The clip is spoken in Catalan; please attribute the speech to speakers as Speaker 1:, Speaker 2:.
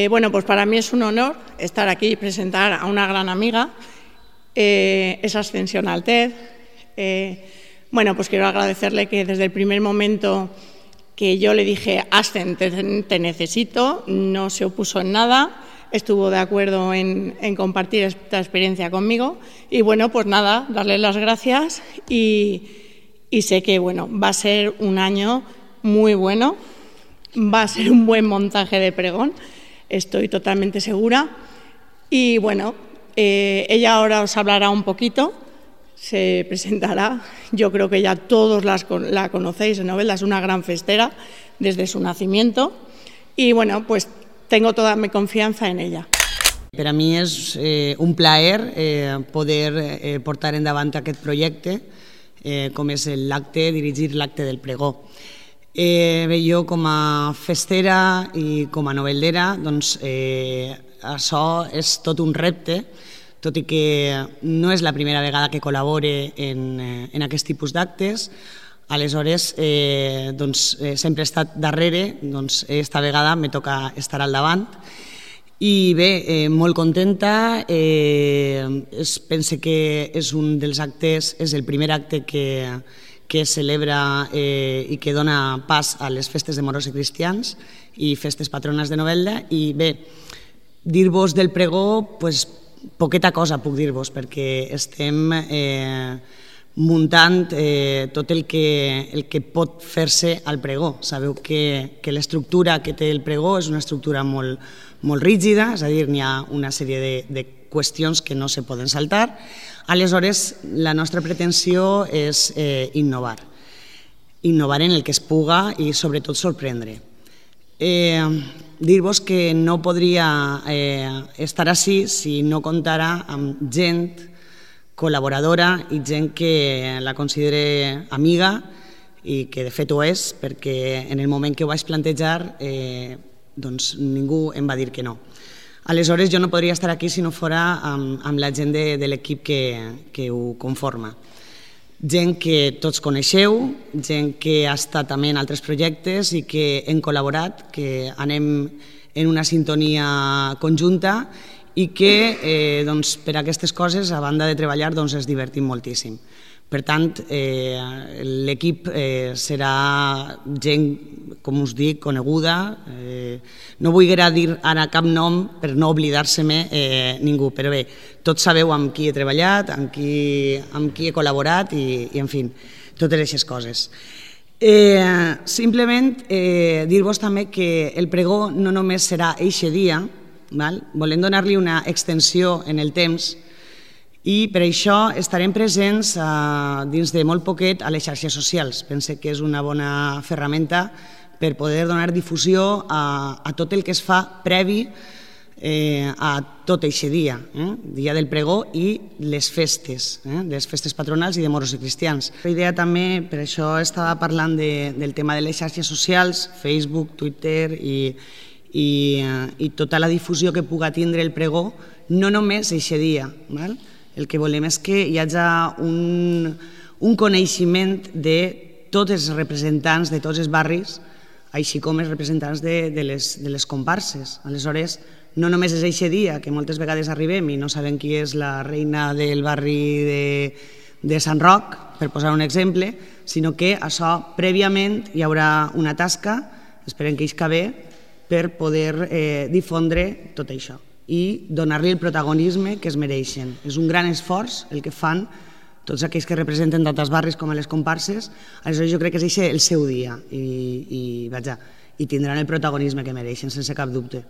Speaker 1: Bueno, pues para mí es un honor estar aquí y presentar a una gran amiga, es Ascensión Altez. Bueno, pues quiero agradecerle que desde el primer momento que yo le dije, Ascen, te necesito, no se opuso en nada, estuvo de acuerdo en compartir esta experiencia conmigo. Y bueno, pues nada, darle las gracias y sé que bueno, va a ser un año muy bueno, va a ser un buen montaje de pregón, estoy totalmente segura. Y bueno, ella ahora os hablará un poquito, se presentará. Yo creo que ya todos la conocéis en Novelda, es una gran festera desde su nacimiento. Y bueno, pues tengo toda mi confiança en ella.
Speaker 2: Per a mi és un plaer poder portar endavant aquest projecte, com és l'acte, dirigir l'acte del pregó. Bé, jo com a festera i com a noveldera, doncs això és tot un repte, tot i que no és la primera vegada que col·labore en aquest tipus d'actes. Aleshores, sempre he estat darrere, esta vegada me toca estar al davant. I bé, molt contenta, pense que és un dels actes, és el primer acte que es celebra i que dona pas a les festes de moros i cristians i festes patrones de Novelda. I bé, dir-vos del pregó, poqueta cosa puc dir-vos, perquè estem muntant tot el que pot fer-se al pregó. Sabeu que l'estructura que té el pregó és una estructura molt rígida, és a dir, n'hi ha una sèrie de qüestions que no se poden saltar. Aleshores, la nostra pretensió és innovar en el que es puga i sobretot sorprendre. Dir-vos que no podria estar així si no comptara amb gent col·laboradora i gent que la considere amiga i que de fet ho és, perquè en el moment que ho vaig plantejar ningú em va dir que no. Aleshores jo no podria estar aquí si no fora amb la gent de l'equip que ho conforma. Gent que tots coneixeu, gent que ha estat també en altres projectes i que hem col·laborat, que anem en una sintonia conjunta i que per aquestes coses, a banda de treballar, es divertim moltíssim. Per tant, l'equip serà gent, com us dic, coneguda. No vull dir ara cap nom per no oblidar-se-me ningú, però bé, tots sabeu amb qui he treballat, amb qui he col·laborat i, en fi, totes aquestes coses. Simplement dir-vos també que el pregó no només serà eixe dia, volem donar-li una extensió en el temps i per això estarem presents dins de molt poquet a les xarxes socials. Pense que és una bona ferramenta per poder donar difusió a tot el que es fa previ a tot aquest dia, dia del pregó i les festes patronals i de moros i cristians. La idea també, per això estava parlant del tema de les xarxes socials, Facebook, Twitter i tota la difusió que puga tindre el pregó, no només aquest dia. El que volem és que hi hagi un coneixement de tots els representants de tots els barris, així com els representants de les comparses. Aleshores, no només és aquest dia, que moltes vegades arribem i no sabem qui és la reina del barri de Sant Roc, per posar un exemple, sinó que això prèviament hi haurà una tasca, esperem que hi bé, per poder difondre tot això i donar-li el protagonisme que es mereixen. És un gran esforç el que fan tots aquells que representen d'altres barris com a les comparses. Aleshores jo crec que és el seu dia i tindran el protagonisme que mereixen, sense cap dubte.